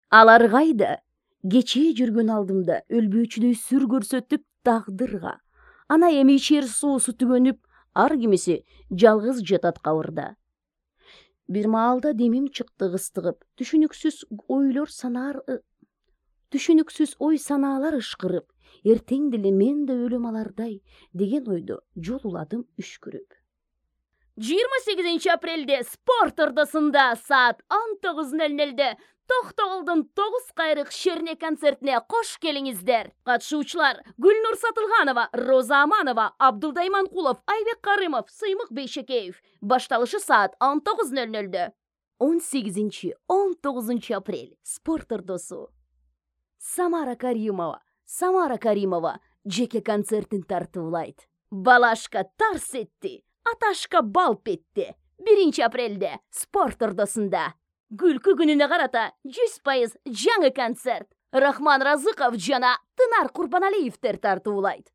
Алар кайда? Кечээ жүргөн алдымда өлбөөчүдөй сүр көрсөтүп тагдырга. Ана эми ичер суусу түгөнүп, ар кимиси жалгыз жатат кабырда. Бир маалда демим чыкты кыстыгып, түшүнүксүз ой санаалар ышкырып, эртең деле мен да өлөм алардай деген ойдо жол уладым үшкүрүп. 28 апрелде спорт ордосунда саат 19:00 Токтогулдун 9 кайрык шерне концертине кош келиңиздер. Катышуучулар Гүлнур Сатылганова, Роза Аманова, Абдылдай Манкулов, Айбек Карымов, Сыймык Бейшекеев. Башталышы саат 19:00. 18-19 апрель спорт ордосу. Самара Каримова жеке концертин тартуулайт. Балашка тарс этти, Аташка балп этти. 1 апрелде спорт ордосунда. Күлкү күнүнө карата 100% жаңы концерт. Рахман Разыков жана Тынар Курбаналиевдер тартуулайт.